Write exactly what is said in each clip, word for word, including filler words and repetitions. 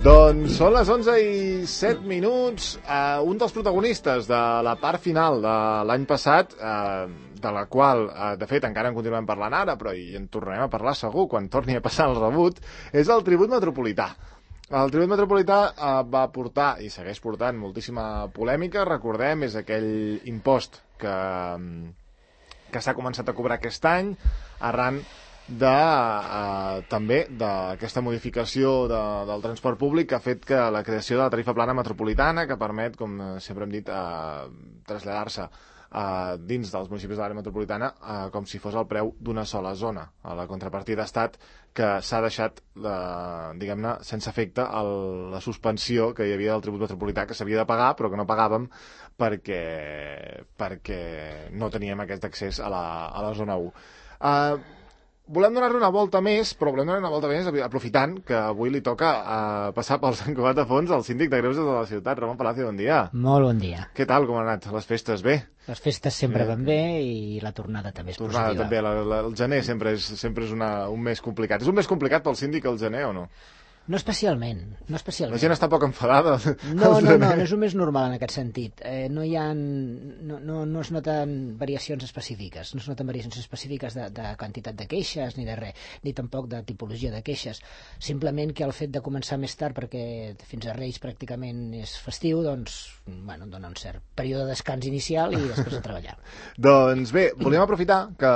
Doncs són les onze i set minuts. Uh, un dels protagonistes de la part final de l'any passat, uh, de la qual, uh, de fet, encara en continuem parlant ara, però hi en tornarem a parlar segur quan torni a passar el rebut, és el tribut metropolità. El tribut metropolità uh, va portar, i segueix portant, moltíssima polèmica. Recordem, és aquell impost que, que s'ha començat a cobrar aquest any, arran de, eh, també d'aquesta modificació de, del transport públic que ha fet que la creació de la tarifa plana metropolitana, que permet, com sempre hem dit, eh, traslladar-se eh, dins dels municipis de l'àrea metropolitana eh, com si fos el preu d'una sola zona. A la contrapartida ha estat que s'ha deixat, eh, diguem-ne, sense efecte el, la suspensió que hi havia del tribut metropolità, que s'havia de pagar però que no pagàvem perquè, perquè no teníem aquest accés a la, a la zona u. Eh, Volem donar-li una volta més, però volem donar una volta més aprofitant que avui li toca uh, passar pel Sant Cugat de Fons al síndic de Greuges de la ciutat. Ramon Palacio, bon dia. Molt bon dia. Què tal, com han anat les festes? Bé? Les festes sempre van bé i la tornada també és tornada positiva. També, la, la, el gener sempre és, sempre és una, un mes complicat. És un mes complicat pel síndic el gener o no? No especialment, no especialment. La gent està poc enfadada. No, no, no, no és un més normal en aquest sentit. Eh, no hi ha, no, no, no es noten variacions específiques, no es noten variacions específiques de, de quantitat de queixes ni de res, ni tampoc de tipologia de queixes. Simplement que el fet de començar més tard, perquè fins a Reis pràcticament és festiu, doncs, bueno, dona un cert període de descans inicial i després a treballar. Doncs bé, volíem aprofitar que,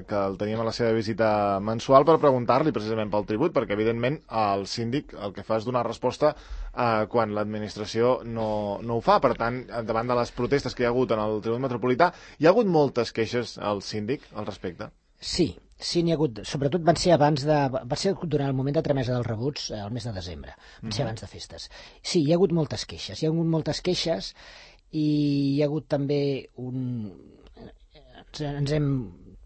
que el teníem a la seva visita mensual per preguntar-li precisament pel tribut, perquè evidentment el síndic el que fa és donar resposta eh, quan l'administració no, no ho fa. Per tant, davant de les protestes que hi ha hagut en el tribut metropolità, hi ha hagut moltes queixes al síndic al respecte? Sí, sí n'hi ha hagut. Sobretot van ser abans de... va ser durant el moment de tramesa dels rebuts, eh, el mes de desembre. Van ser abans de festes. Sí, hi ha hagut moltes queixes. Hi ha hagut moltes queixes i hi ha hagut també un... Ens, ens hem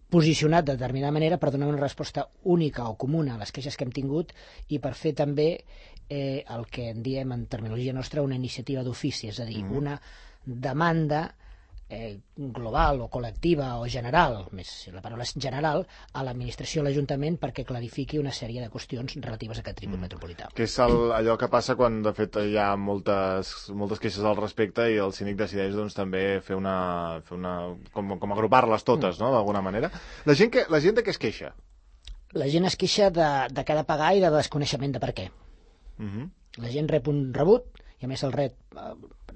posicionat de determinada manera per donar una resposta única o comuna a les queixes que hem tingut i per fer també eh, el que en diem en terminologia nostra una iniciativa d'ofici, és a dir, una demanda eh, global o col·lectiva o general, més si la paraula és general, a l'administració, a l'Ajuntament, perquè clarifiqui una sèrie de qüestions relatives a aquest tribut mm. metropolità. Que és el, allò que passa quan, de fet, hi ha moltes, moltes queixes al respecte i el síndic decideix doncs, també fer una... Fer una com, com agrupar-les totes, mm. no?, d'alguna manera. La gent, que, la gent de què es queixa? La gent es queixa de, de cada pagar i de desconeixement de per què. Mm-hmm. La gent rep un rebut i a més el rep, eh,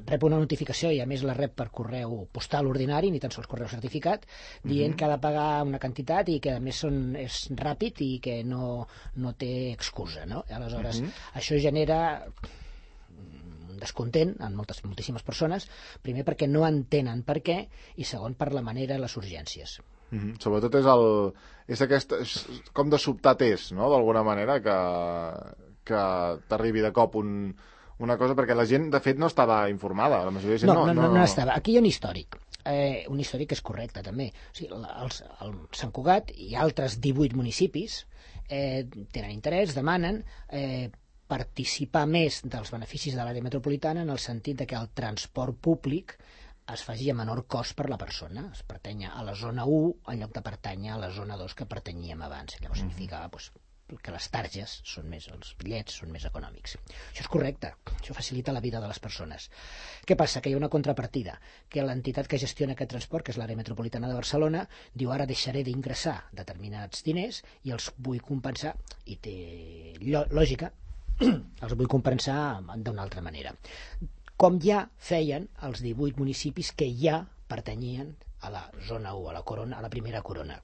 rep una notificació i a més la rep per correu postal ordinari, ni tan sols correu certificat, dient mm-hmm. que ha de pagar una quantitat i que a més són, és ràpid i que no, no té excusa, no? Aleshores, mm-hmm. això genera un descontent en moltes, moltíssimes persones, primer perquè no entenen per què i segon per la manera i les urgències. Mm-hmm. Sobretot és, el, és, aquest, és com de sobtat és, no?, d'alguna manera, que, que t'arribi de cop un... una cosa, perquè la gent, de fet, no estava informada. La majoria de gent no, no, no, no, no, no estava. Aquí hi ha un històric. Eh, un històric que és correcte, també. O sigui, els, el Sant Cugat i altres divuit municipis eh, tenen interès, demanen eh, participar més dels beneficis de l'àrea metropolitana en el sentit de que el transport públic es faci a menor cost per la persona. Es pertanya a la zona u en lloc de pertànyer a la zona dos que pertanyíem abans. Llavors mm. significava doncs, que les targes són més, els bitllets són més econòmics. Això és correcte, això facilita la vida de les persones. Què passa? Que hi ha una contrapartida, que l'entitat que gestiona aquest transport, que és l'àrea metropolitana de Barcelona, diu ara deixaré d'ingressar determinats diners i els vull compensar, i té lògica, els vull compensar d'una altra manera. Com ja feien els divuit municipis que ja pertanyien a la zona u, a la corona, a la primera corona.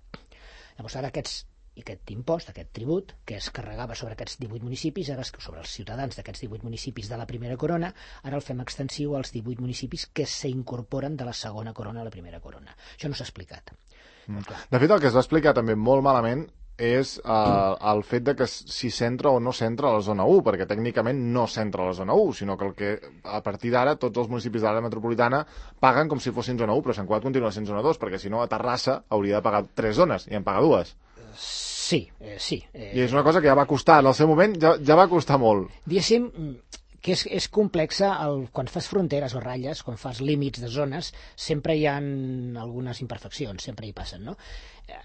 Llavors ara aquests i aquest impost, aquest tribut, que es carregava sobre aquests divuit municipis, ara sobre els ciutadans d'aquests divuit municipis de la primera corona, ara el fem extensiu als divuit municipis que s'incorporen de la segona corona a la primera corona. Això no s'ha explicat. Mm. De fet, el que es va explicar també molt malament és eh, el fet de que si s'entra o no s'entra a la zona u, perquè tècnicament no s'entra a la zona u, sinó que, el que a partir d'ara tots els municipis de l'àrea metropolitana paguen com si fossin zona u, però Sant Cugat continua sent zona dos, perquè si no a Terrassa hauria de pagar tres zones i en paga dues. Sí, eh, sí. Eh... I és una cosa que ja va costar, en el seu moment ja, ja va costar molt. Diguéssim que és, és complexa, el, quan fas fronteres o ratlles, quan fas límits de zones, sempre hi ha algunes imperfeccions, sempre hi passen, no?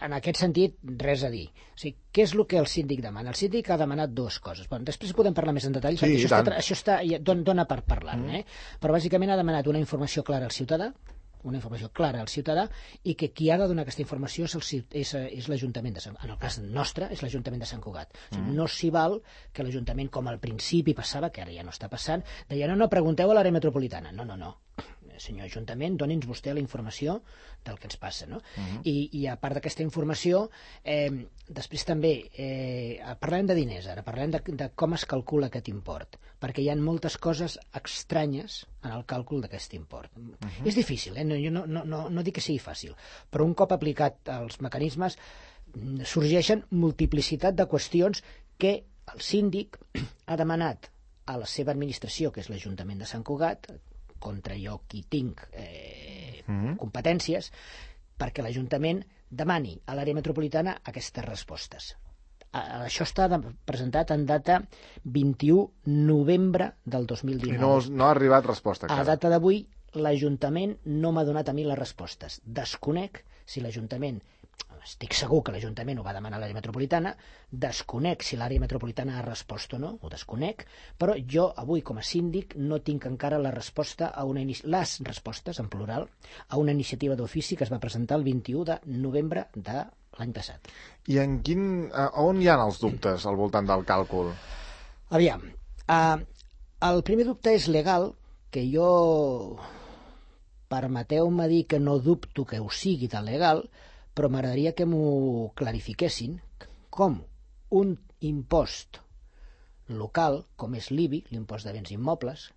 En aquest sentit, res a dir. O sigui, què és el que el síndic demana? El síndic ha demanat dues coses. Bon, després podem parlar més en detall, sí, perquè això està, això està, dona per parlar-ne, eh? Però bàsicament ha demanat una informació clara al ciutadà, una informació clara al ciutadà, i que qui ha de donar aquesta informació és, el, és, és l'Ajuntament de Sant Cugat. En el cas nostre, és l'Ajuntament de Sant Cugat. O sigui, no s'hi val que l'Ajuntament, com al principi passava, que ara ja no està passant, deia, no, no, pregunteu a l'àrea metropolitana. No, no, no. Senyor Ajuntament, doni'ns vostè la informació del que ens passa, no? Uh -huh. I, I a part d'aquesta informació, eh, després també, eh, parlem de diners ara, parlem de, de com es calcula aquest import, perquè hi ha moltes coses estranyes en el càlcul d'aquest import. Uh -huh. És difícil, eh? No, jo no, no, no, no dic que sigui fàcil, però un cop aplicat els mecanismes sorgeixen multiplicitat de qüestions que el síndic ha demanat a la seva administració, que és l'Ajuntament de Sant Cugat, contra jo qui tinc eh, mm-hmm. competències, perquè l'Ajuntament demani a l'àrea metropolitana aquestes respostes. Això està presentat en data vint-i-u de novembre del dos mil dinou. I no, no ha arribat resposta encara. A data d'avui, l'Ajuntament no m'ha donat a mi les respostes. Desconec si l'Ajuntament, estic segur que l'Ajuntament ho va demanar a l'àrea metropolitana, desconec si l'àrea metropolitana ha respost o no, ho desconec, però jo avui com a síndic no tinc encara la resposta a una inici... les respostes, en plural, a una iniciativa d'ofici que es va presentar el vint-i-u de novembre de l'any passat. I en quin... on hi ha els dubtes al voltant del càlcul? Aviam, uh, el primer dubte és legal, que jo, permeteu-me dir que no dubto que ho sigui de legal, però m'agradaria que m'ho clarifiquessin, com un impost local, com és l'I B I, l'impost de béns immobles,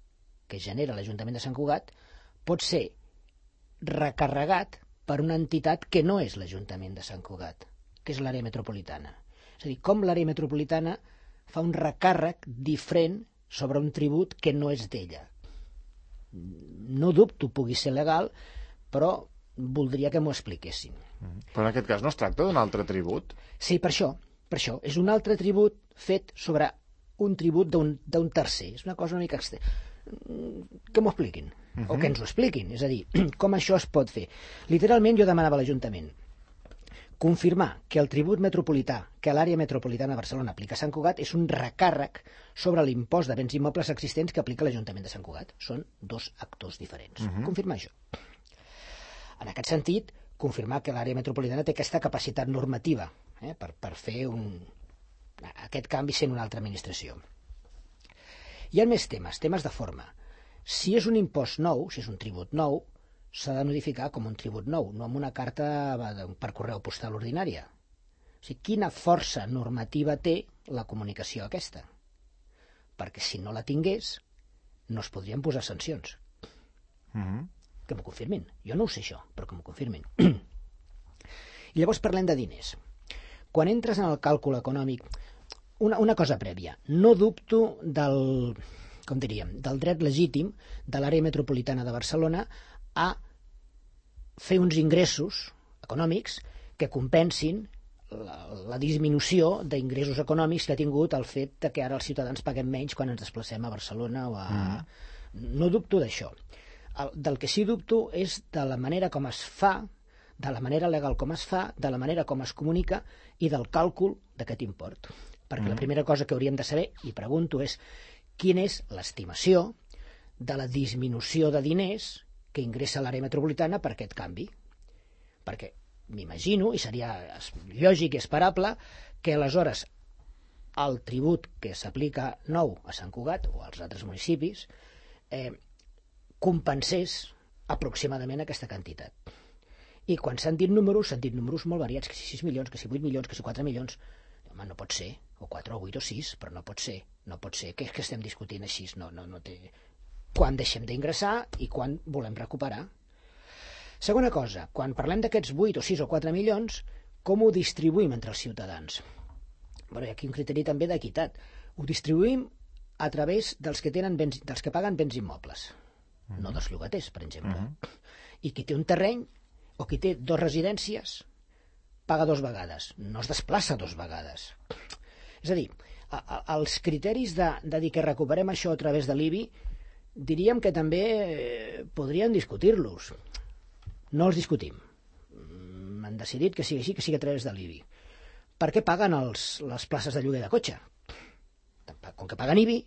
que genera l'Ajuntament de Sant Cugat, pot ser recarregat per una entitat que no és l'Ajuntament de Sant Cugat, que és l'àrea metropolitana. És a dir, com l'àrea metropolitana fa un recàrrec diferent sobre un tribut que no és d'ella. No dubto pugui ser legal, però voldria que m'ho expliquessin. Però en aquest cas no es tracta d'un altre tribut? Sí, per això, per això. És un altre tribut fet sobre un tribut d'un tercer. És una cosa una mica extra. Que m'ho expliquin, uh -huh. o que ens ho expliquin. És a dir, com això es pot fer. Literalment jo demanava a l'Ajuntament confirmar que el tribut metropolità que l'àrea metropolitana de Barcelona aplica a Sant Cugat és un recàrrec sobre l'impost de béns immobles existents que aplica l'Ajuntament de Sant Cugat. Són dos actors diferents. Uh -huh. Confirmar això. En aquest sentit, confirmar que l'àrea metropolitana té aquesta capacitat normativa eh, per, per fer un, aquest canvi sent una altra administració. Hi ha més temes, temes de forma. Si és un impost nou, si és un tribut nou, s'ha de notificar com un tribut nou, no amb una carta per correu postal ordinària. O sigui, quina força normativa té la comunicació aquesta? Perquè si no la tingués, no es podrien posar sancions. Mm-hmm. Que m'ho confirmin. Jo no ho sé això, però que m'ho confirmin. I llavors parlem de diners. Quan entres en el càlcul econòmic, una, una cosa prèvia, no dubto del, com diríem, del dret legítim de l'àrea metropolitana de Barcelona a fer uns ingressos econòmics que compensin la, la disminució d'ingressos econòmics que ha tingut el fet de que ara els ciutadans paguem menys quan ens desplacem a Barcelona o a... Mm. No dubto d'això. El, del que sí dubto és de la manera com es fa, de la manera legal com es fa, de la manera com es comunica i del càlcul d'aquest import. Perquè mm. la primera cosa que hauríem de saber, i pregunto, és quina és l'estimació de la disminució de diners que ingressa l'àrea metropolitana per aquest canvi. Perquè m'imagino, i seria lògic i esperable, que aleshores el tribut que s'aplica nou a Sant Cugat o als altres municipis eh, compensés aproximadament aquesta quantitat. I quan s'han dit números, s'han dit números molt variats, que si sis milions, que si vuit milions, que si quatre milions. Home, no pot ser, o quatre, o vuit, o sis, però no pot ser, no pot ser. Què és que estem discutint així? No, no, no té... Quan deixem d'ingressar i quan volem recuperar. Segona cosa, quan parlem d'aquests vuit o sis o quatre milions, com ho distribuïm entre els ciutadans? Bé, hi ha aquí un criteri també d'equitat. Ho distribuïm a través dels que, tenen béns, dels que paguen béns immobles, uh-huh. no dels llogaters, per exemple. Uh-huh. I qui té un terreny o qui té dues residències paga dues vegades, no es desplaça dues vegades. És a dir, a, a, els criteris de, de dir que recuperem això a través de l'I B I, diríem que també eh, podríem discutir-los. No els discutim. Han decidit que sigui així, que sigui a través de l'I B I. Per què paguen els, les places de lloguer de cotxe? Com que paguen I B I,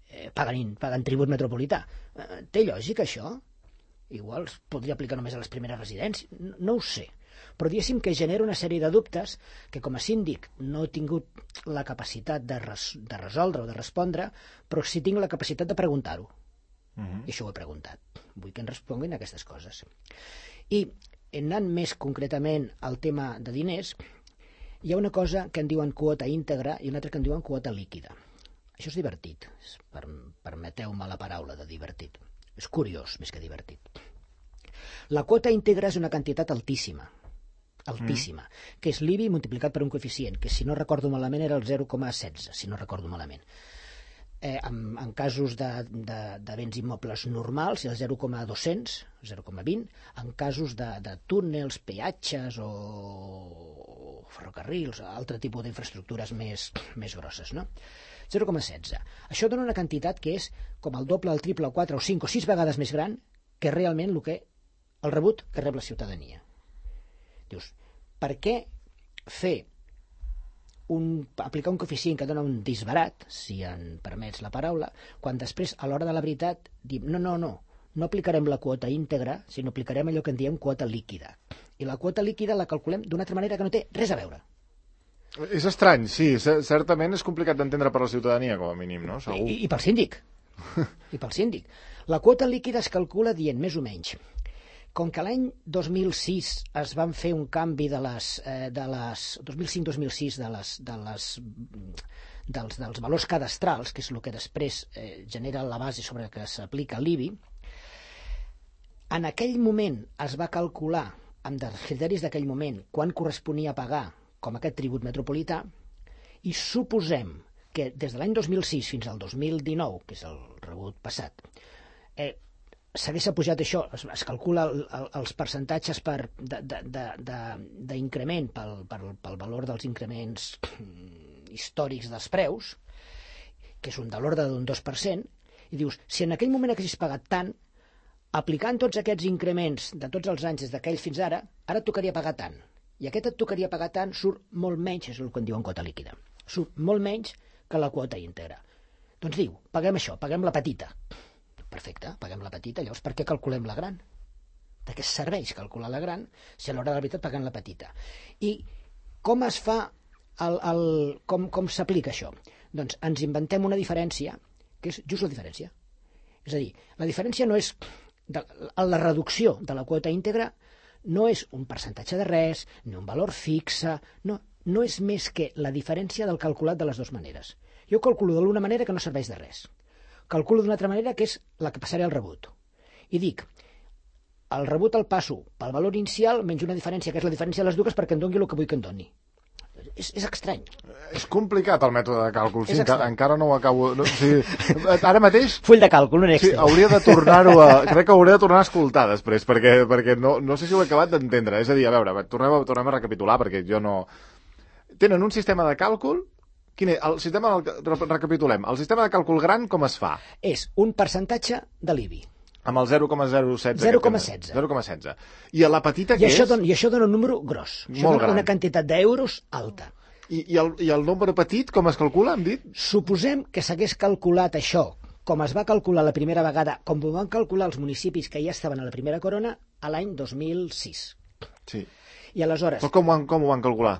eh, paguen, paguen tribut metropolità. Eh, té lògica, això? Igual es podria aplicar només a les primeres residències. No, no ho sé. Però diguéssim que genera una sèrie de dubtes que com a síndic no he tingut la capacitat de, res, de resoldre o de respondre, però sí tinc la capacitat de preguntar-ho. Uh-huh. I això ho he preguntat. Vull que em responguin aquestes coses. I anant més concretament al tema de diners, hi ha una cosa que en diuen quota íntegra i una altra que en diuen quota líquida. Això és divertit. Per, permeteu-me la paraula de divertit. És curiós, més que divertit. La quota íntegra és una quantitat altíssima, altíssima, mm. que és l'I B I multiplicat per un coeficient, que si no recordo malament era el zero coma setze, si no recordo malament. Eh, en, en casos de, de, de béns immobles normals, el zero coma dos-cents, zero coma vint, en casos de, de túnels, peatges o ferrocarrils, altre tipus d'infraestructures més, més grosses, no? zero coma setze. Això dona una quantitat que és com el doble, el triple, el quatre, o cinc o sis vegades més gran que realment el, que, el rebut que rep la ciutadania. Dius, per què fer un, aplicar un coeficient que dona un disbarat, si en permets la paraula, quan després, a l'hora de la veritat, dim, no, no, no, no aplicarem la quota íntegra, sinó aplicarem allò que en diem quota líquida. I la quota líquida la calculem d'una altra manera que no té res a veure. És estrany, sí. Certament és complicat d'entendre per la ciutadania, com a mínim, no? Segur. I, i pel síndic. I pel síndic. La quota líquida es calcula dient, més o menys, com que l'any dos mil sis es van fer un canvi de les... Eh, de les dos mil cinc dos mil sis de les, de les, dels, dels valors cadastrals, que és el que després eh, genera la base sobre la que s'aplica l'I B I, en aquell moment es va calcular, amb els criteris d'aquell moment, quan corresponia pagar com aquest tribut metropolità, i suposem que des de l'any dos mil sis fins al dos mil dinou, que és el rebut passat, eh, s'hagués pujat això, es, es calcula el, el, els percentatges per, d'increment pel, pel, pel valor dels increments històrics dels preus, que és un de l'ordre d'un dos per cent, i dius, si en aquell moment haguessis pagat tant, aplicant tots aquests increments de tots els anys des d'aquell fins ara, ara et tocaria pagar tant. I aquest et tocaria pagar tant, surt molt menys, és el que en diuen quota líquida, surt molt menys que la quota íntegra. Doncs diu, paguem això, paguem la petita. Perfecte, paguem la petita, llavors per què calculem la gran? De què serveix calcular la gran si a l'hora de la veritat paguem la petita? I com es fa, el, el, com, com s'aplica això? Doncs ens inventem una diferència, que és just la diferència. És a dir, la diferència no és, de, la reducció de la quota íntegra no és un percentatge de res, ni un valor fixe, no, no és més que la diferència del calculat de les dues maneres. Jo calculo de l'una manera que no serveix de res. Calculo d'una altra manera que és la que passaré al rebut. I dic, el rebut el passo pel valor inicial menys una diferència, que és la diferència de les dues perquè em doni el que vull que em doni. És, és estrany. És complicat el mètode de càlcul, sí, enca encara no ho acabo... No, sí, ara mateix... Full de càlcul, un Excel. Sí, hauria de tornar-ho a... Crec que hauré de tornar a escoltar després, perquè, perquè no, no sé si ho he acabat d'entendre. És a dir, a veure, tornem a, tornem a recapitular, perquè jo no... Tenen un sistema de càlcul... Quin és? El sistema... Recapitulem. El sistema de càlcul gran com es fa? És un percentatge de l'I B I. Amb el zero coma zero setze. zero coma setze. zero coma setze. I a la petita I què això és? Don, I això dona un número gros. Això Molt dona gran. Una quantitat d'euros alta. I, i, el, I el nombre petit com es calcula, hem dit? Suposem que s'hagués calculat això, com es va calcular la primera vegada, com ho van calcular els municipis que ja estaven a la primera corona, a l'any dos mil sis. Sí. I aleshores... Però com ho van, com ho van calcular?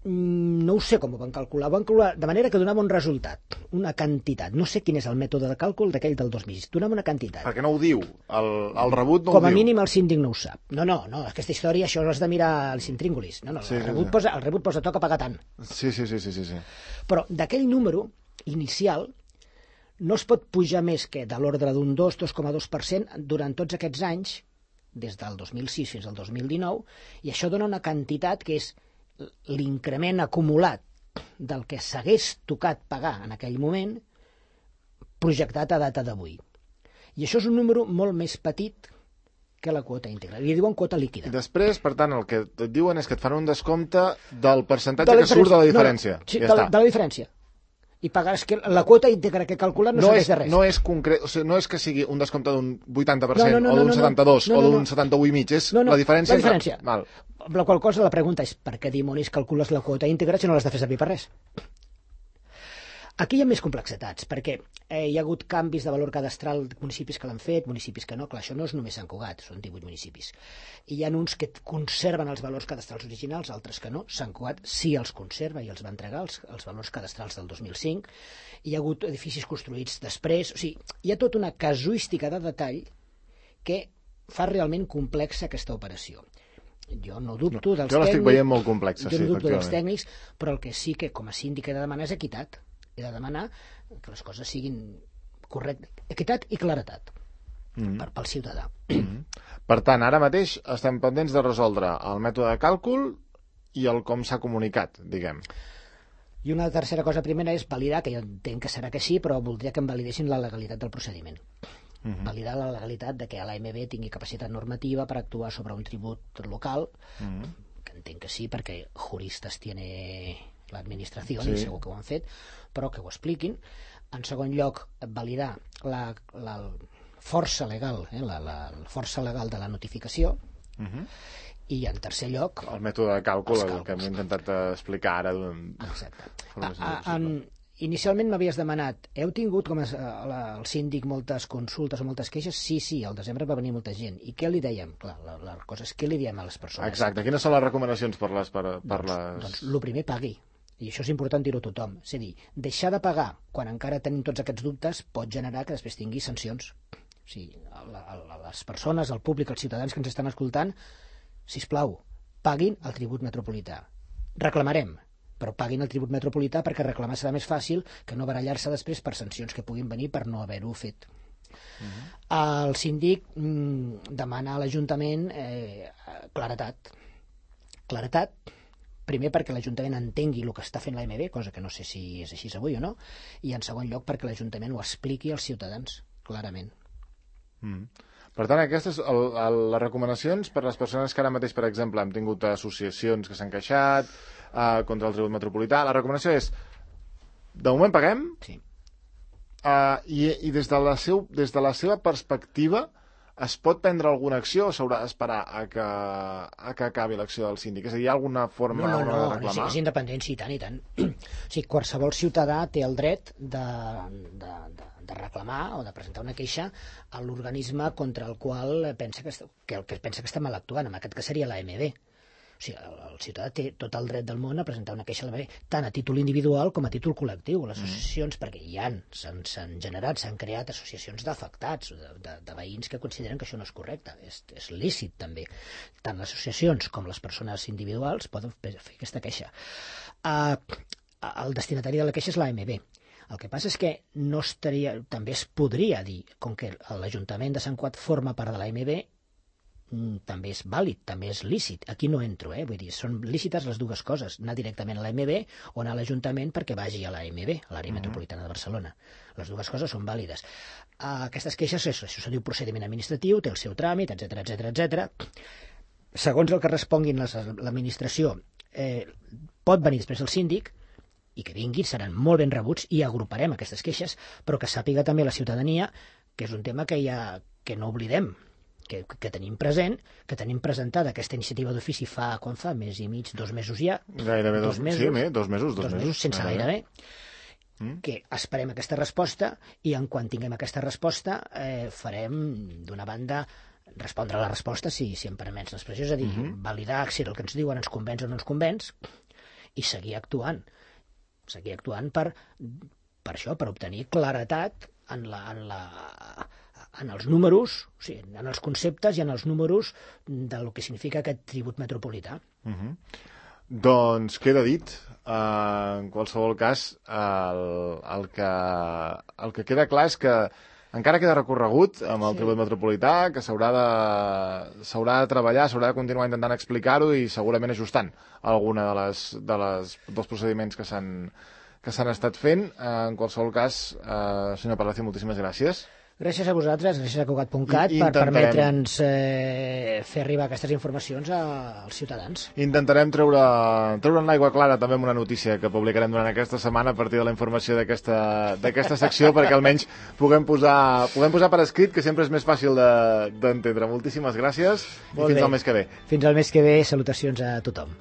No ho sé com ho van calcular. Ho van calcular de manera que donava un resultat, una quantitat. No sé quin és el mètode de càlcul d'aquell del dos mil sis. Donava una quantitat. Perquè no ho diu. El, el rebut no com ho diu. Com a mínim el síndic no ho sap. No, no, no. Aquesta història, això ho has de mirar als intríngulis. No, no, sí, el, sí, rebut sí. Posa, el rebut posa toca pagar tant. Sí, sí, sí, sí, sí, sí. Però d'aquell número inicial no es pot pujar més que de l'ordre d'un dos, dos coma dos per cent durant tots aquests anys, des del dos mil sis fins al dos mil dinou, i això dona una quantitat que és l'increment acumulat del que s'hagués tocat pagar en aquell moment projectat a data d'avui. I això és un número molt més petit que la quota íntegra. Li diuen quota líquida. I després, per tant, el que et diuen és que et fan un descompte del percentatge de que surt de la diferència. No, no, sí, ja de, la, de la diferència. i pagaràs que la quota íntegra que calculat no, no serveix de res. No és concret, o sigui, no és que sigui un descompte d'un vuitanta per cent no, no, no, o d'un no, no, setanta-dos no, no, o d'un no. setanta-u i mig, és no, no, la diferència. La diferència. Entre... Val. Amb la qual cosa la pregunta és per què dimonis calcules la quota íntegra si no l'has de fer servir per res? Aquí hi ha més complexitats, perquè eh, hi ha hagut canvis de valor cadastral de municipis que l'han fet, municipis que no, clar, això no és només Sant Cugat, són divuit municipis. I hi ha uns que conserven els valors cadastrals originals, altres que no. Sant Cugat sí els conserva i els va entregar, els, els valors cadastrals del dos mil cinc. Hi ha hagut edificis construïts després, o sigui, hi ha tota una casuística de detall que fa realment complexa aquesta operació. Jo no dubto dels tècnics... Jo l'estic veient molt complexa, sí, sí, no dubto dels efectivament. tècnics, però el que sí que com a síndic he de demanar és equitat. He de demanar que les coses siguin correctes, equitat i claretat mm-hmm. per, pel ciutadà. Mm-hmm. Per tant, ara mateix estem pendents de resoldre el mètode de càlcul i el com s'ha comunicat, diguem. I una tercera cosa primera és validar, que jo entenc que serà que sí, però voldria que em validessin la legalitat del procediment. Mm-hmm. Validar la legalitat de que l'A M B tingui capacitat normativa per actuar sobre un tribut local, mm-hmm. que entenc que sí, perquè juristes tiene l'administració, sí. I segur que ho han fet, però que ho expliquin. En segon lloc, validar la, la força legal, eh, la, la, la força legal de la notificació, uh-huh. I en tercer lloc... El mètode de càlcul, el que hem intentat explicar ara. Exacte. A, a, en, inicialment m'havies demanat, heu tingut com a, a, el síndic moltes consultes o moltes queixes? Sí, sí, al desembre va venir molta gent. I què li dèiem? Clar, la, la cosa és què li diem a les persones. Exacte. Quines són les recomanacions per les... Per, per doncs, les... doncs, el primer, pagui. I això és important dir-ho a tothom. És a dir, deixar de pagar quan encara tenim tots aquests dubtes pot generar que després tingui sancions. O sigui, a, a, a les persones, al públic, als ciutadans que ens estan escoltant, sisplau, paguin el tribut metropolità. Reclamarem, però paguin el tribut metropolità perquè reclamar serà més fàcil que no barallar-se després per sancions que puguin venir per no haver-ho fet. Uh-huh. El síndic mm, demana a l'Ajuntament eh, claretat. Claretat, primer perquè l'Ajuntament entengui el que està fent l'A M B, cosa que no sé si és així avui o no, i en segon lloc perquè l'Ajuntament ho expliqui als ciutadans, clarament. Mm. Per tant, aquestes, el, el, les recomanacions per a les persones que ara mateix, per exemple, hem tingut associacions que s'han queixat eh, contra el tribut metropolità, la recomanació és, de moment paguem, sí. eh, i, i des, de la seu, des de la seva perspectiva es pot prendre alguna acció o s'haurà d'esperar a, que, a que acabi l'acció del síndic? És a dir, hi ha alguna forma, no, no, no, no, de reclamar? No, és independent, sí, tant i tant. O sigui, qualsevol ciutadà té el dret de, de, de, de reclamar o de presentar una queixa a l'organisme contra el qual pensa que, que, que pensa que està mal actuant, en aquest cas seria l'A M B. O sigui, el, el ciutadà té tot el dret del món a presentar una queixa a l'A M B, tant a títol individual com a títol col·lectiu. Les associacions, mm. perquè hi han, s'han generat, s'han creat associacions d'afectats, de, de, de veïns que consideren que això no és correcte. És, és lícit, també. Tant les associacions com les persones individuals poden fer aquesta queixa. Uh, el destinatari de la queixa és l'A M B. El que passa és que no estaria, també es podria dir, com que l'Ajuntament de Sant Cugat forma part de l'A M B, també és vàlid, també és lícit. Aquí no entro, eh? Vull dir, són lícites les dues coses, anar directament a l'A M B o anar a l'Ajuntament perquè vagi a l'A M B, a l'àrea uh-huh. metropolitana de Barcelona. Les dues coses són vàlides. Uh, aquestes queixes, això, això se diu procediment administratiu, té el seu tràmit, etcètera, etcètera, etcètera. Segons el que responguin les, l'administració, eh, pot venir després el síndic, i que vinguin, seran molt ben rebuts i agruparem aquestes queixes, però que sàpiga també la ciutadania que és un tema que, ha, que no oblidem, que, que tenim present, que tenim presentada aquesta iniciativa d'ofici fa, quan fa? Mes i mig, dos mesos ja. Gairebé dos, dos mesos. Sí, més, dos mesos. Dos, dos mesos, mesos sense gairebé. Mm. Que esperem aquesta resposta i en quan tinguem aquesta resposta eh, farem, d'una banda, respondre a la resposta, si, si em permets l'expressió, és a dir, mm-hmm. validar si el que ens diuen ens convenç o no ens convenç i seguir actuant. Seguir actuant per, per això, per obtenir claretat en la... En la en els números, o sigui, en els conceptes i en els números del que significa aquest tribut metropolità. Uh-huh. Doncs queda dit. Uh, en qualsevol cas, el, el, que, el que queda clar és que encara queda recorregut amb el sí. tribut metropolità, que s'haurà de, s'haurà de treballar, s'haurà de continuar intentant explicar-ho i segurament ajustant alguna de les, de les, dels procediments que s'han, que s'han estat fent. Uh, en qualsevol cas, uh, senyor Palacio, moltíssimes gràcies. Gràcies a vosaltres, gràcies a Cugat punt cat per permetre'ns eh, fer arribar aquestes informacions als ciutadans. Intentarem treure, treure en l'aigua clara també amb una notícia que publicarem durant aquesta setmana a partir de la informació d'aquesta secció perquè almenys puguem posar, puguem posar per escrit, que sempre és més fàcil d'entendre. De, Moltíssimes gràcies. Molt i fins bé. Al mes que ve. Fins al mes que ve, salutacions a tothom.